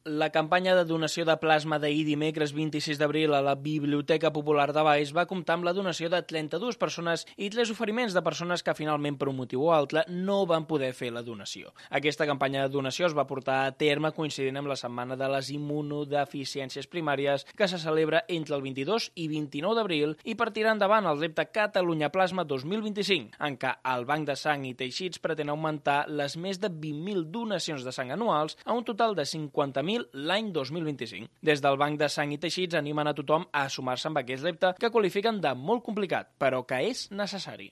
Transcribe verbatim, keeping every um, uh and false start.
La campanya de donació de plasma d'ahir dimecres vint-i-sis d'abril a la Biblioteca Popular de Valls va comptar amb la donació de trenta-dues persones i tres oferiments de persones que finalment per un motiu o altre no van poder fer la donació. Aquesta campanya de donació es va portar a terme coincidint amb la Setmana de les Immunodeficiències Primàries que se celebra entre el vint-i-dos i vint-i-nou d'abril i per tirar endavant el repte Catalunya Plasma dos mil vint-i-cinc, en què el Banc de Sang i Teixits pretén augmentar les més de vint mil donacions de sang anuals a un total de cinquanta mil l'any dos mil vint-i-cinc. Des del Banc de Sang i Teixits animen a tothom a sumar-se amb aquest repte que qualifiquen de molt complicat, però que és necessari.